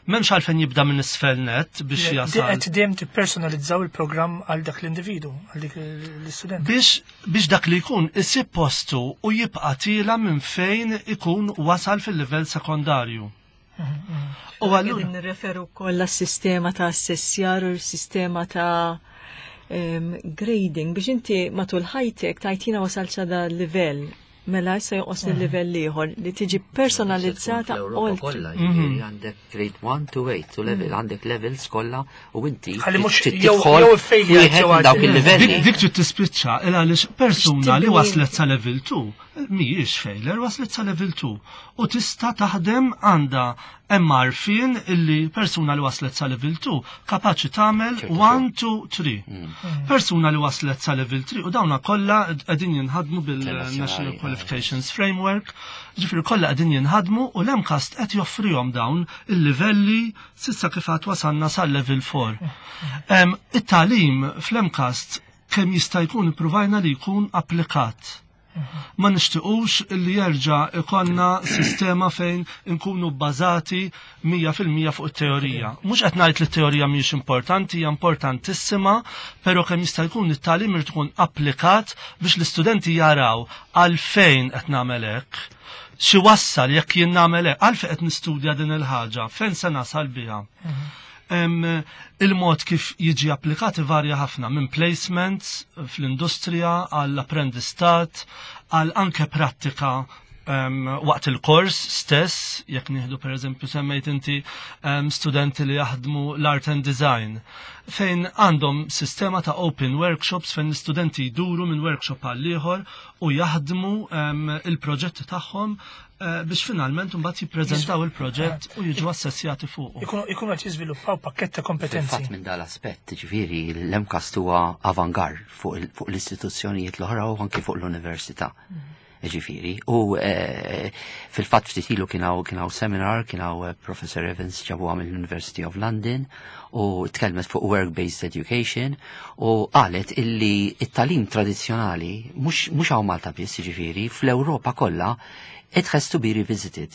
M'hemmx għalfejn jibda minn isfel net biex jasal. Qed dejjem tippersonalizzaw il-programm għal dak l-individu, għal dik l-istudent. Biex dak li jkun isib postu u jibqa' tiela minn fejn ikun wasal fil-livell sekondarju. U allura nirreferu wkoll għas-sistema ta' assessjar u s-sistema ta' grading biex inti matul ħajtek tajtina wasal sa da livell. Mela issa jonqosni livell ieħor li tiġi personalizzata Fl-Ewropa oltre. kollha, jiġifieri għandek grade 1 to 8 to level, għandek levels kollha u inti Ħalli mhux trid jew- tidħol jew iffejljat wieħed jew minn dawk għaddi. il-livelli. Dik trid tispiċċa il għaliex persuna li X'tibni? waslet sa level 2 mhijiex failure, waslet sa level 2 u tista' taħdem għandha hemm għarfien illi persuna li waslet sa level 2 kapaċi tagħmel ċertu 1 2 3. Persuna li waslet sa level 3 u dawna kollha qegħdin jinħadmu bil-National Internazzjonali, Qualifications Framework, ġifieri kollha qegħdin jinħadmu u l-MCAST qed joffrihom dawn il-livelli s'issa kif għad wasalna sal-level 4. It-tagħlim fl-MCAST kemm jista' jkun ippruvajna li jkun applikat. Ma nixtiqux li jerġa' ikollna sistema fejn nkunu bbażati 100% fuq it-teorija. Mhux qed ngħid li t-teorija mhijiex importanti, hija importantissima, però kemm jista' jkun it-tagħlim irid ikun applikat biex l-istudenti jaraw għalfejn qed nagħmel hekk. Xi wassal jekk jien nagħmel hekk, għalfejn qed nistudja din il-ħaġa, fejn se nasal biha. Il-mod kif jiġi applikat varja ħafna minn placements fl-industrija għall apprendistat għal anke prattika waqt il-kors stess, jekk nieħdu per eżempju semmejt inti studenti li jaħdmu l-art and design, fejn għandhom sistema ta' open workshops fejn l-istudenti jduru minn workshop għal ieħor u jaħdmu il-proġetti tagħhom biex finalment mbagħad jippreżentaw il-proġett u jiġu assessjati fuqu. Ikunu qed jiżviluppaw pakkett ta' kompetenzi. Fil-fatt minn dal-aspett, ġifieri, l-MCAST huwa avangard fuq l-istituzzjonijiet l-oħra u anki fuq l-università. Ġifieri, u fil-fatt ftit ilu kien hawn seminar, kien hawn Professor Evans ġabuha mill-University of London u tkellmet fuq work-based education u qalet illi it-tagħlim tradizzjonali mhux hawn Malta biss, ġifieri, fl-Ewropa kollha it has to be revisited.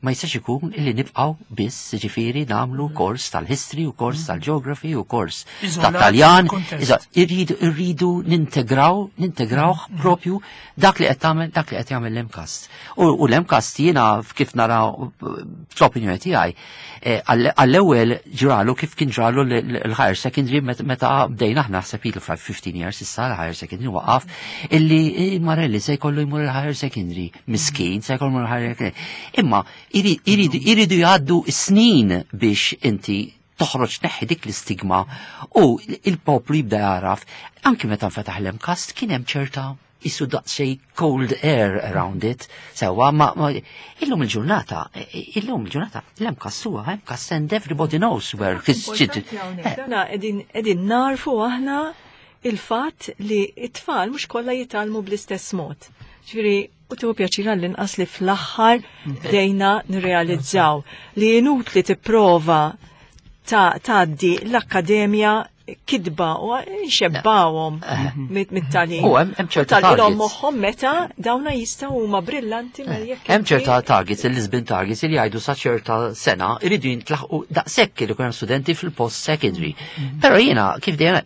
Ma jistax ikun illi nibqaw biss, ġifieri, nagħmlu kors tal-history u kors tal-geography u kors Iżolat tal-Taljan. fil-kuntest. Iżolat. Irridu nintegraw propju dak li qed tagħmel, dak li qed jagħmel l-MCAST. U l-MCAST jiena kif nara fl-opinjoni tiegħi, għall-ewwel ġralu kif kien ġralu l-higher secondary meta bdejna aħna naħseb ilu 15 years issa l-higher secondary waqaf illi Marelli se jkollu jmur il-higher secondary, miskin se jkollu jmur il-higher secondary. Imma iridu jgħaddu snin biex inti toħroġ neħi dik l-istigma u il-poplu jibda jaraf. Anki meta nfetaħ l-MCAST kien hemm ċerta isu daqsxejn cold air around it. Sewa, ma illum il-ġurnata, l-MCAST huwa MCAST and everybody knows where his Importanti hawnhekk. Dana qegħdin narfu aħna il-fatt li it-tfal mhux kollha jitgħallmu bl-istess mod. Ġifieri, u tieħu pjaċir għall-inqas li fl-aħħar bdejna nirrealizzaw li inutli tipprova tgħaddi l-akkademja kidba u nxebbawhom mit-tagħlim. U hemm ċerta Tal-ilhom targets. moħħhom meta dawna jistgħu huma brillanti mela jekk Hemm ċerta inti- targets, il-Lisbon targets li jgħidu sa ċerta sena iridu jintlaħqu daqshekk li jkun hemm studenti fil-post secondary. Però jiena kif dejjem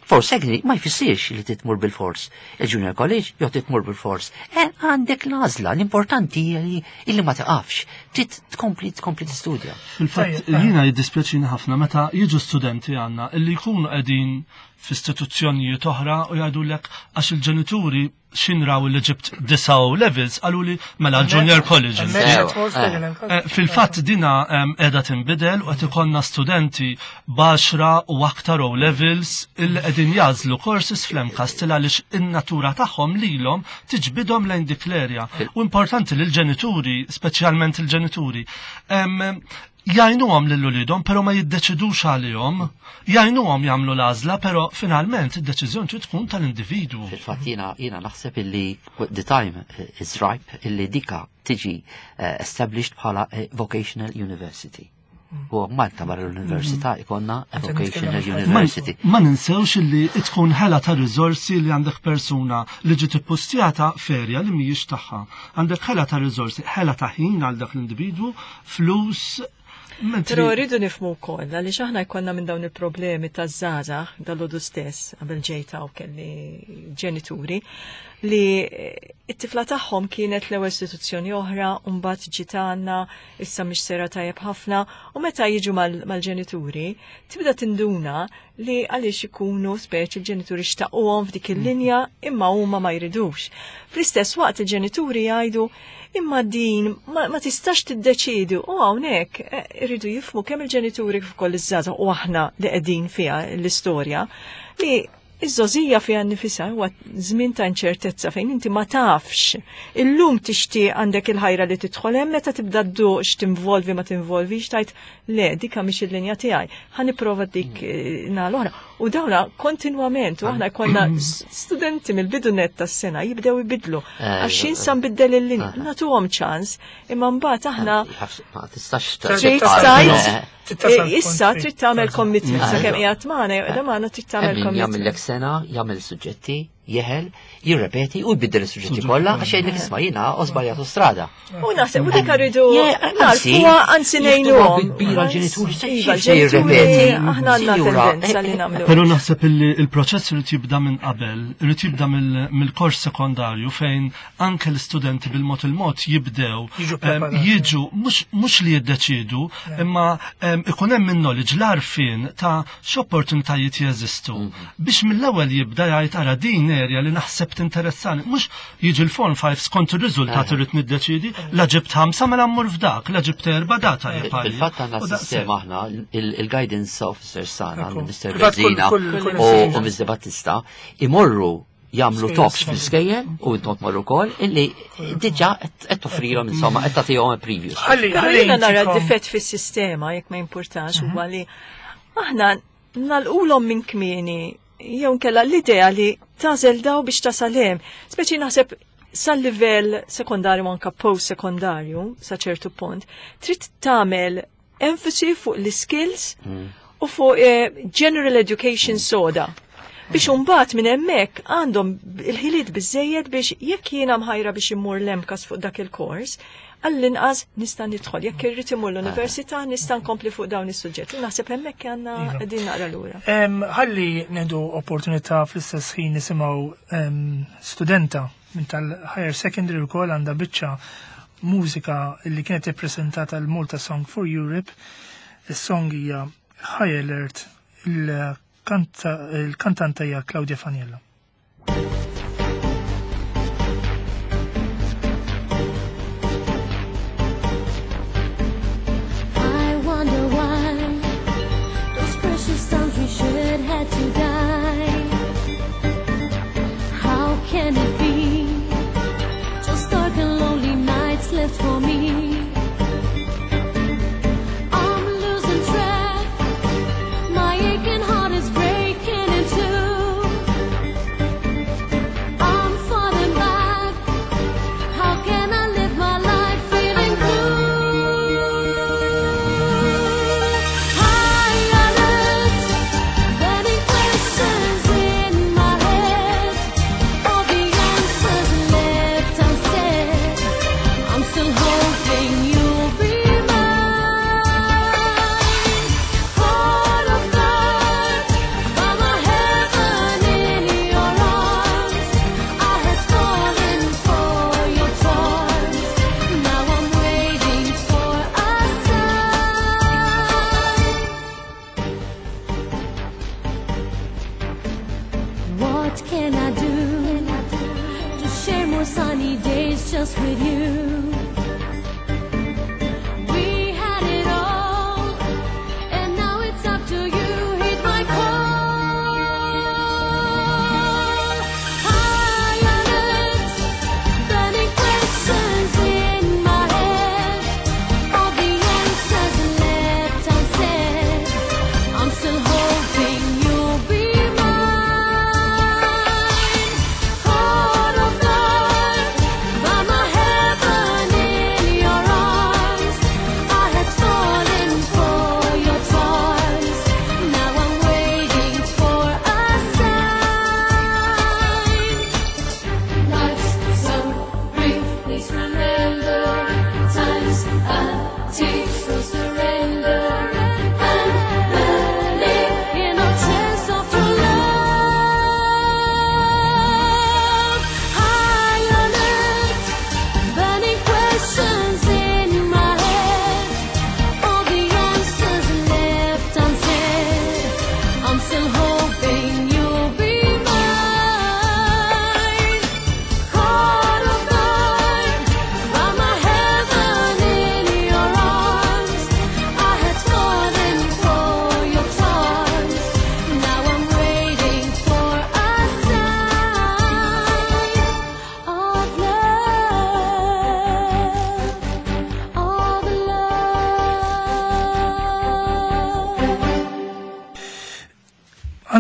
post secondary ma jfissirx li titmur bil-fors. Il-junior college jew titmur bil-fors. Għandek l-għażla, l-importanti hija li illi ma taqafx, trid tkompli tistudja. Fil-fatt, Tajjeb, jiena jiddispjaċini ħafna meta jiġu studenti għandna illi jkunu qegħdin f'istituzzjonijiet oħra u jgħidulek għax il-ġenituri x'inraw li ġibt disa O levels qalu li mela junior colleges. Fil-fatt dina qiegħda tinbidel u qed ikollna studenti b'għaxra u aktar O levels illi qegħdin jagħżlu courses fl-MCAST għaliex in-natura tagħhom lilhom tiġbidhom lejn dik l-area. U importanti li l-ġenituri, speċjalment il-ġenituri, jgħinuhom lil uliedhom, però ma jiddeċidux għalihom, jgħinuhom jagħmlu l-għażla, però finalment id-deċiżjoni trid tkun tal-individwu. Fil-fatt jiena naħseb illi the time is ripe illi dika tiġi established bħala vocational university. U Malta barra l-università ikonna a vocational university. Ma ninsewx illi tkun ħela ta' riżorsi li għandek persuna li ġiet ippostjata f'area li mhijiex tagħha. Għandek ħela ta' riżorsi, ħela ta' ħin għal dak l-individwu, flus. Però rridu nifhmu wkoll għaliex aħna jkollna minn dawn il-problemi taż-żgħażagħ dal stess qabel ġejta u kelli ġenituri li it-tifla tagħhom kienet l-ewwel istituzzjoni oħra u mbagħad ġiet għandna issa mhix sera tajjeb ħafna u meta jiġu mal-ġenituri tibda tinduna li għaliex ikunu speċi l-ġenituri xtaquhom f'dik il-linja imma huma ma jridux. Fl-istess waqt il-ġenituri jgħidu imma din ma tistax tiddeċidu u hawnhekk irridu jifhmu kemm il-ġenituri kif ukoll iż-żgħażagħ u aħna li qegħdin fiha l-istorja li iż-żgħożija fiha nnifisha huwa żmien ta' inċertezza fejn inti ma tafx. Illum tixtieq għandek il-ħajra li tidħol hemm meta tibda dduq x'tinvolvi ma tinvolvix tgħid le dika mhix il-linja tiegħi. Ħa nipprova dik naħa l-oħra. U dawna kontinwament u aħna jkollna studenti mill-bidu net tas-sena jibdew ibidlu. Għax jinsa nbiddel il-linja, nagħtuhom ċans, imma mbagħad aħna Ma tistax trid tgħid issa trid tagħmel commitment sakemm qiegħed magħna jew qiegħda magħna trid tagħmel Min commitment. jagħmillek sena, jagħmel suġġetti, jeħel, jirrepeti u jbiddel is-suġġetti kollha għax jgħidlek isma' jiena u żbaljatu strada. U naħseb u dik rridu anzi, narfuha anzi jieħduha ngħinuhom. bi kbira l-ġenituri, se Iva, se l-ġenituri jirrepeti. aħna għandna Sinjura, tendenza li nagħmlu. Pero naħseb illi il-proċess irid jibda minn qabel, irid jibda mill-kors sekondarju fejn anke l-istudenti bil-mod il-mod jibdew Jiġu preparati. jiġu mhux li jiddeċidu, imma ikun hemm il-knowledge l-għarfien ta' x'opportunitajiet jeżistu. Biex mill-ewwel jibda jgħid ara din area li naħseb tinteressani, mhux jiġi l-form 5 skont ir-riżultat irrid niddeċidi, la ġibt 5 mela mmur f'dak, la ġibt 4 data jibqa' Fil-fatt għandna U daqshekk. sistema aħna, il-guidance officers sana, Ekku. Mr. Fil-fatt Bezzina kull u institution. Mr. Battista, imorru jagħmlu Skejjel, talks skejjel. fil-skejjel u intom tmorru wkoll illi diġà qed toffrilhom insomma qed tagħtihom previews. Ħalli Però ħalli jiena nara intikom- difett fis-sistema jekk ma jimpurtax huwa li aħna nagħlqulhom minn kmieni jew nkella l-idea li tagħżel daw biex tasal hemm. Speċi naħseb sal-livell sekondarju anka post-sekondarju sa ċertu punt, trid tagħmel enfasi fuq l-skills u fuq general education soda. Biex imbagħad minn hemmhekk għandhom il-ħiliet biżejjed biex jekk jiena mħajra biex immur l-MCAST fuq dak il-kors, għall-inqas nista' nidħol. Jekk irrid imur l-università nista' nkompli fuq dawn is-suġġetti. Naħseb hemmhekk għandna Iva. qegħdin naqra lura. Ħalli nieħdu opportunità fl-istess ħin nisimgħu studenta minn tal-higher secondary wkoll għandha biċċa mużika li kienet ippreżentata l-Malta Song for Europe. Is-song hija High Alert, il-kantanta hija Claudia Faniello. I wonder why those precious sons we shed had to die. How can it be? Just dark and lonely nights left for me. I'm losing track. My aching heart is breaking in two. I'm falling back. How can I live my life feeling blue? High alert, burning questions in my head. All the answers left unsaid. I'm still holding.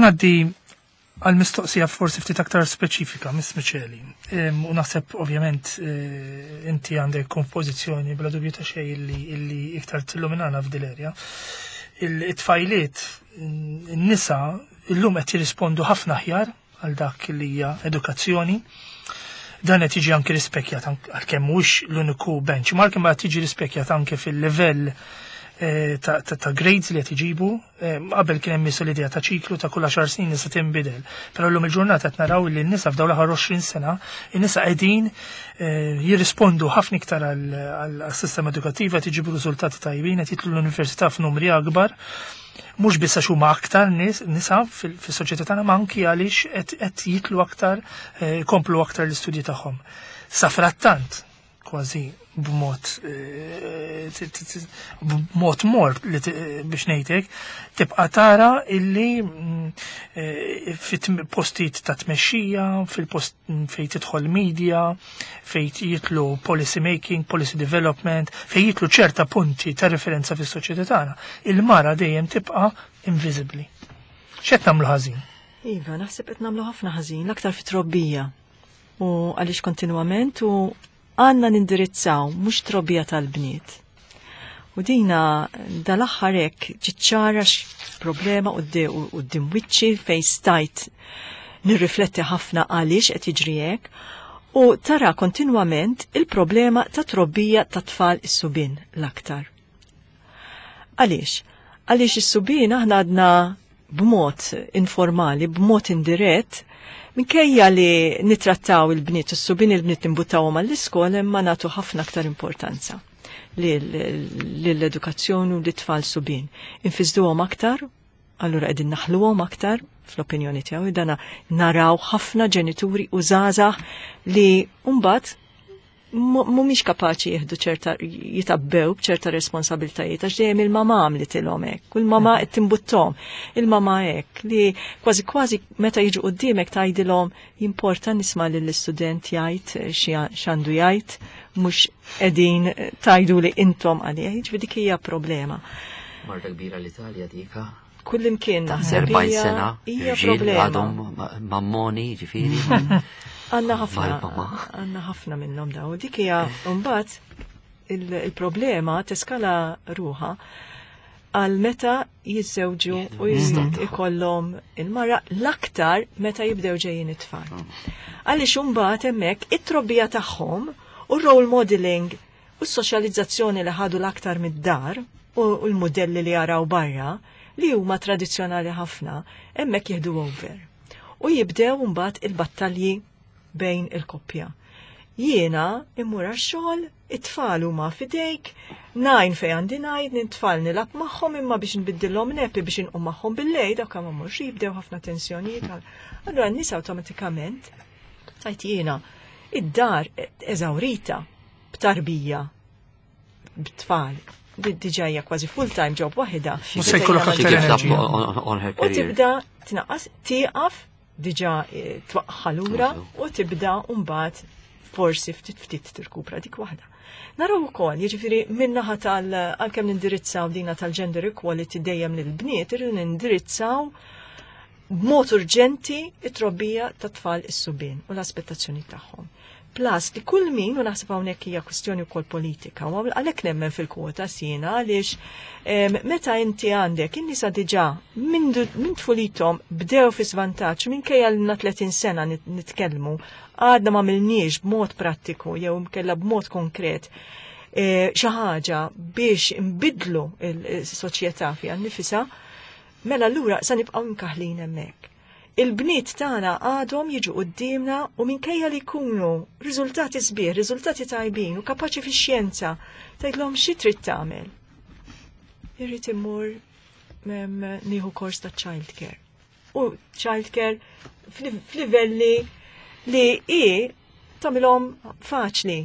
Ħa ngħaddi għal mistoqsija forsi ftit aktar speċifika, Miss Micheli. U naħseb ovvjament inti għandek kompożizzjoni bla dubju ta' xejn illi iktar tilluminana f'dil-erja. Il-tfajliet, n-nisa, illum qed jirrispondu ħafna aħjar għal dak li hija edukazzjoni. Dan qed jiġi anke rispekjat għalkemm mhuwiex l-uniku benchmark, imma qed jiġi rispekjat anke fil-livell ta' grades li qed iġibu. Qabel kien hemm l-idea ta' ċiklu ta' kull 10 snin nisa tinbidel. Però llum il-ġurnata qed naraw li n-nisa f'dawn l-aħħar 20 sena, in-nisa qegħdin jirrispondu ħafna iktar għall-sistema edukattiva, qed iġibu riżultati tajbin, qed jidħlu l-università f'numri akbar, mhux biss għax huma aktar nisa fis-soċjetà tagħna, ma anki għaliex qed jidħlu aktar, jkomplu aktar l-istudji tagħhom. Sa frattant, kważi b'mod mor li biex ngħidlek, tibqa' tara illi fit-postijiet ta' tmexxija, fil-post fejn tidħol media, fejn jidħlu policy making, policy development, fejn jidħlu ċerta punti ta' referenza fis-soċjetà tagħna, il-mara dejjem tibqa' invisibbli. X'qed nagħmlu ħażin? Iva, naħseb qed nagħmlu ħafna ħażin, l-aktar fit-trobbija. U għaliex kontinwament u għandna nindirizzaw mhux trobbija tal-bniet. U dina dal-aħħar hekk ċiċċara problema quddiem wiċċi fejn stajt nirrifletti ħafna għaliex qed jiġri hekk u tara kontinwament il-problema ta' trobbija ta' tfal is-subien l-aktar. Għaliex? Għaliex is-subien aħna għadna b'mod informali, b'mod indirett, minkejja li nitrattaw il-bniet, is-subien, il-bniet nimbuttawhom għall-iskola, imma nagħtu ħafna aktar importanza lill-edukazzjoni u l-tfal subien. Infisduhom aktar, allura qegħdin naħluhom aktar fl-opinjoni tiegħu, dana naraw ħafna ġenituri u żgħażagħ li mbagħad mhumiex kapaċi jieħdu ċerta, jitabbew b'ċerta responsabiltajiet għax dejjem il-mama għamlitilhom hekk, u l-mama qed timbuttom, il-mama hekk li kważi kważi meta jiġu quddiemek tgħidilhom jimporta nisma' lill-istudent jgħid x'għandu jgħid, mhux qegħdin tgħidu li intom għalih, jiġifieri dik hija problema. Marda kbira l-Italja dika. Kullimkien naħseb 40 hija sena, hija irġiel problema. għadhom mammoni, ġifieri. Għandna ħafna, Mal-mama. għandna ħafna minnhom daw. Dik hija mbagħad il-problema teskala ruħa għal meta jiżżewġu u ikollhom il-mara, l-aktar meta jibdew ġejjin it-tfal. Għaliex imbagħad hemmhekk it-trobbija tagħhom u role modeling u s-soċjalizzazzjoni li ħadu l-aktar mid-dar u l-modelli li jaraw barra li huma tradizzjonali ħafna, hemmhekk jieħdu over. U jibdew mbagħad il-battalji bejn il-koppja. Jiena immur għax-xogħol, it-tfal huma fidejk, najn fej għandi ngħid, nintfal nilgħab magħhom, imma biex nbiddilhom nappy, biex inqum magħhom bil-lejl, dawk ma mhux jibdew ħafna tensjonijiet. Allura n-nies awtomatikament tajt jiena id-dar eżawrita b'tarbija, b'tfal. Diġà hija kważi full-time job waħda. Mhux se jkollok She aktar gives up enerġija. on her U career. tibda tnaqqas, tieqaf, diġà twaqqa lura u tibda mbagħad forsi ftit ftit tirkupra dik waħda. Naraw ukoll, jiġifieri min-naħa tal għalkemm nindirizzaw dina tal-gender equality dejjem lill-bniet, irridu nindirizzaw b'mod urġenti it-trobbija ta' tfal is-subien u l-aspettazzjoni tagħhom. Plus li kull min, u naħseb hawnhekk hija kwistjoni wkoll politika, u għalhekk nemmen fil-kwota sina għaliex meta inti għandek in-nisa diġà minn tfulithom bdew fi svantaġġ, minkejja li 30 sena nitkellmu, għadna ma għamilniex b'mod prattiku jew kella b'mod konkret xi ħaġa biex nbidlu il-soċjetà fiha nnifisha, mela allura sa nibqgħu nkaħlin hemmhekk. Il-bniet tagħna għadhom jiġu quddiemna u minkejja li jkunu riżultati sbieħ, riżultati tajbin u kapaċi fix-xjenza, tgħidlhom xi trid tagħmel. Irrid immur nieħu kors ta' child care. U child care f'livelli li i tagħmilhom faċli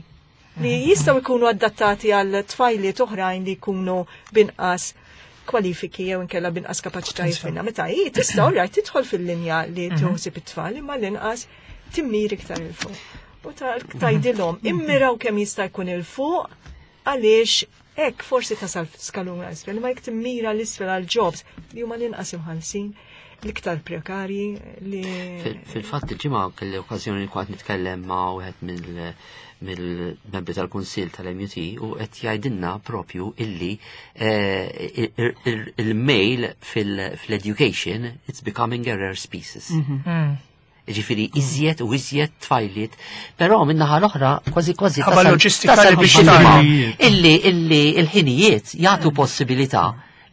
li jistgħu jkunu adattati għal tfajliet oħrajn li jkunu binqas kwalifiki jew inkella binqas kapaċitajiet minna. Meta hi tista' rajt tidħol fil-linja li tuħsib it-tfal, imma l-inqas timmir iktar 'il fuq. U tgħidilhom immiraw kemm jista' jkun 'il fuq għaliex hekk forsi tasal skalun isfel, imma jekk timmira l-isfel għal jobs li huma l-inqas imħallsin. L-iktar prekarji li. Fil-fatt il-ġimgħa kelli okkażjoni li kont nitkellem ma' wieħed mill-membri tal-Kunsill tal-MUT u qed jgħidilna propju illi il-male fil-education, it's becoming a rare species. Ġifiri, iżjed u iżjed tfajliet, però minnaħa l-oħra kważi kważi Ħabba loġistika tasal li biex biex tagħmel. Illi il-ħinijiet jagħtu possibilità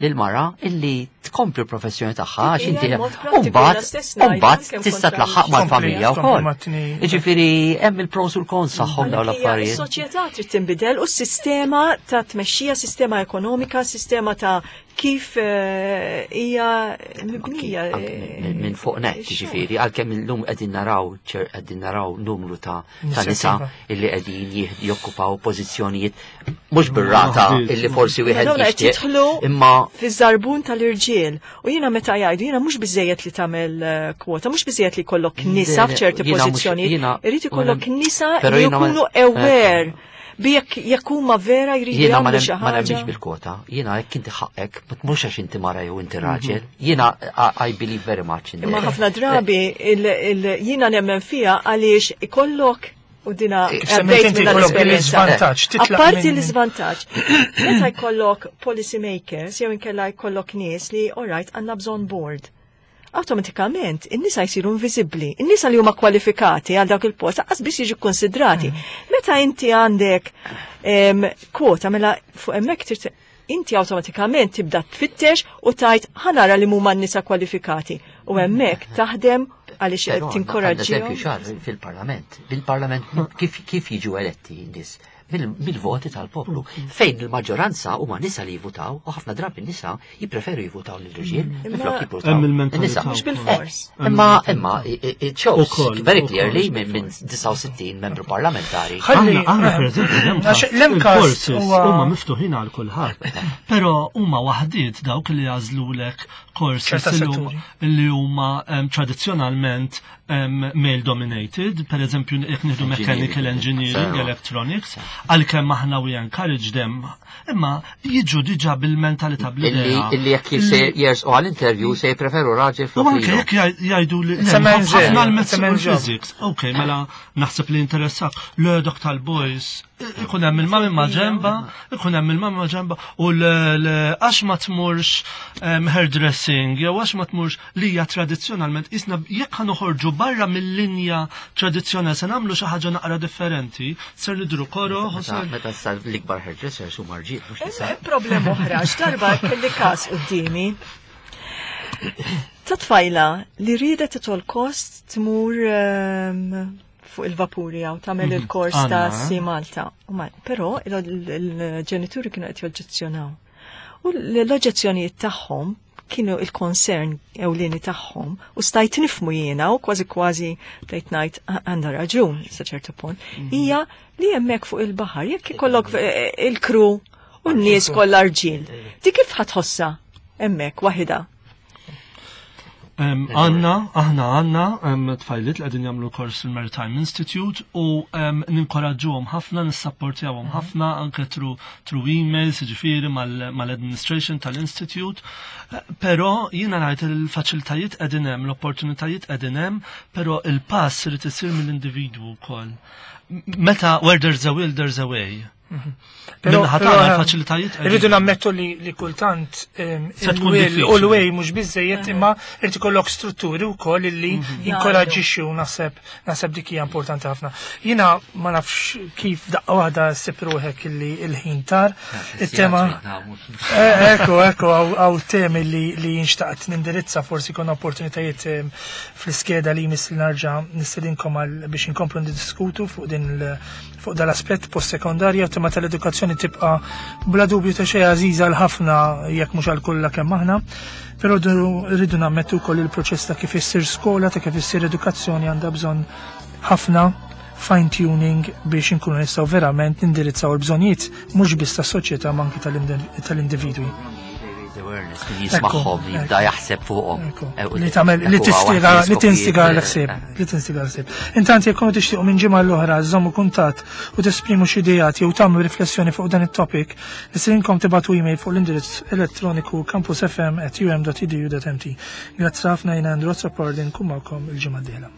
lil mara illi tkompli l-professjoni tagħha għax Hija inti mod prattiku, mbagħad jiena stess ngħid mbagħad kemm tista' kontra tlaħħaq mal-familja Tkompli wkoll. mat-tnejn. Jiġifieri hemm il-pros u l-cons tagħhom dawn Għalhekk hija l-affarijiet. Is-soċjetà trid tinbidel u s-sistema ta' tmexxija, sistema ekonomika, sistema ta' kif hija mibnija. Anki minn fuq net, ix-xogħol. ġifieri, għalkemm illum qegħdin naraw numru ta' nisa Inizjattiva. illi qegħdin jokkupaw pożizzjonijiet mhux bir-rata Waħdiet. illi forsi wieħed Madonna qed jixtieq, jidħlu imma fiż-żarbun tal-irġiel. U jiena meta jgħidu jiena mhux biżejjed li tagħmel kwota, mhux biżejjed li jkollok nisa Le, le, f'ċerti jiena mhux- pożizzjonijiet, irid ikollok nisa però li jiena ma- jkunu aware bi jekk huma vera jridu Jiena ma jagħmlu xi ma nemminx ħaġa. bil-kwota. Jiena jekk inti ħaqek, ma tmurx għax inti mara jew inti raġel. Jiena I believe very much in Imma that. ħafna drabi jiena nemmen fiha għaliex ikollok u dina Kif semmejt għaddejt inti minn dan jkollok l-esperjenza. l-iżvantaġġ, titlaq Apparti l-iżvantaġġ, meta jkollok policy makers jew inkella jkollok nies li alright għandna bżonn board. Awtomatikament in-nisa jsiru inviżibbli. In-nisa li huma kwalifikati għal dawk il-post qas biss jiġu konsidrati. Meta inti għandek kwota mela fuq hemmhekk trid inti awtomatikament tibda tfittex u tajt ħa nara li huma n-nisa kwalifikati. U hemmhekk taħdem għaliex Però għandna tinkoraġġihom. eżempju ċar fil-parlament. Bil-parlament kif jiġu eletti n-nies? Mill-voti tal-poplu. Fejn il-maġġoranza huma nisa li jivutaw u ħafna drabi n-nisa jippreferu jivutaw lill-irġiel minflok jivutaw Hemm il-mentalità in-nisa. Mhux bil-fors. Imma it shows Ukoll, very ukoll. clearly minn 69 membru parlamentari. Ħalli Aħna per eżempju għax l-MCAST, l-MCAST il-courses huwa huma miftuħin għal kulħadd. Però huma waħdiet dawk li jagħżlulek courses ċerta li huma- setturi. li huma tradizzjonalment male dominated, per eżempju jekk nieħdu mechanical engineering, Sewa. electronics, għalkemm aħna we encourage them, imma jiġu diġà bil-mentalità Illi bl-idea. illi jekk se jersqu għall-interview se jippreferu raġel U flok anke lilu. jekk jgħidu li It's a man's ħafna job. l-maths It's a u man's job. l-physics. Ok, mela naħseb li interessak. Le dak tal-boys, ikun hemm il-mami ma' ġemba, ikun hemm il-mami ma' ġemba u għax ma tmurx hairdressing, jew għax ma tmurx li hija tradizzjonalment isna jekk ħa noħorġu barra mill-linja tradizzjonali se nagħmlu xi ħaġa naqra differenti, ser nidru koro, Meta sar l-ikbar hairdressers huma rġiel mhux nisa. Hemm problem oħra, x'darba kelli każ qudiemi. Ta' tfajla li riedet at all cost tmur fuq il-vapuri għaw tagħmel il-kors ta' Għanna, eh? Si Malta. Però il-ġenituri kienu qed joġġezzjonaw. U l-oġġezzjonijiet tagħhom kienu il-concern ewlieni tagħhom u stajt nifmu jiena u kważi kważi bdejt ngħid għandha raġun sa ċertu punt, hija li hemmhekk fuq il-baħar jekk ikollok il-crew u n-nies kollha rġiel. Di kif ħa tħossha hemmhekk waħida? Għanna, aħna għanna tfajliet li qegħdin jagħmlu kors il-Maritime Institute u ninkoraġġuhom ħafna, nissapportjawhom ħafna anke through emails, ġifieri mal-administration tal-Institute. Però jiena ngħid il-faċilitajiet qegħdin hemm, l-opportunitajiet qegħdin hemm, però il-pass irid isir mill-individwu wkoll. Meta where there's a will, there's a way. Però Minnaħa però, tagħna l-faċilitajiet qegħdin. Irridu nammettu li kultant Se tkun il-will diffiċli. u l-way mhux biżejjed imma irid ikollok strutturi wkoll illi jinkoraġġixxu u naħseb dik hija importanti ħafna. Jiena ma nafx kif daqqa waħda ssib ruħek illi il-ħin tar. Il-tema Ekku, hawn temi li jinxtaqt nindirizza forsi kon opportunitajiet fl-iskeda li jmiss li narġa' nistedinkom għal biex inkomplu niddiskutu fuq dal-aspett post-sekondarja u tema tal-edukazzjoni tibqa' bla dubju ta' xejn għażiża għal ħafna jekk mhux għal kollha kemm aħna. Però rridu nammettu wkoll il-proċess ta' kif issir skola, ta' kif issir edukazzjoni għandha bżonn ħafna fine tuning biex inkunu nistgħu verament nindirizzaw il-bżonnijiet mhux biss tas-soċjetà ma anki tal-individwi. They raise awareness. In-nies min jismagħhom jibda jaħseb fuqhom. Li tagħmel li tistiga li tinstiga l-ħsieb, li tinstiga l-ħsieb. Intant jekk konu tixtiequ minn ġimgħa l-oħra żommu kuntatt u tesprimu xi ideat jew tagħmlu riflessjoni fuq dan it-topic, nistedinkom tibgħatu email fuq l-indirizz elettroniku campusfm@um.edu.mt. Grazzi ħafna jiena Andrew Azzopardi nkun magħkom il-ġimgħa d-dieħla.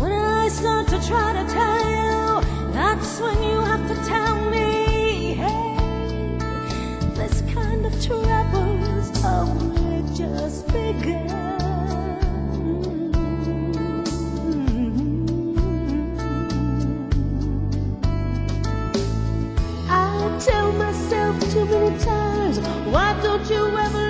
When I start to try to tell you, that's when you have to tell me, hey, this kind of trouble's only just begun. I tell myself too many times, why don't you ever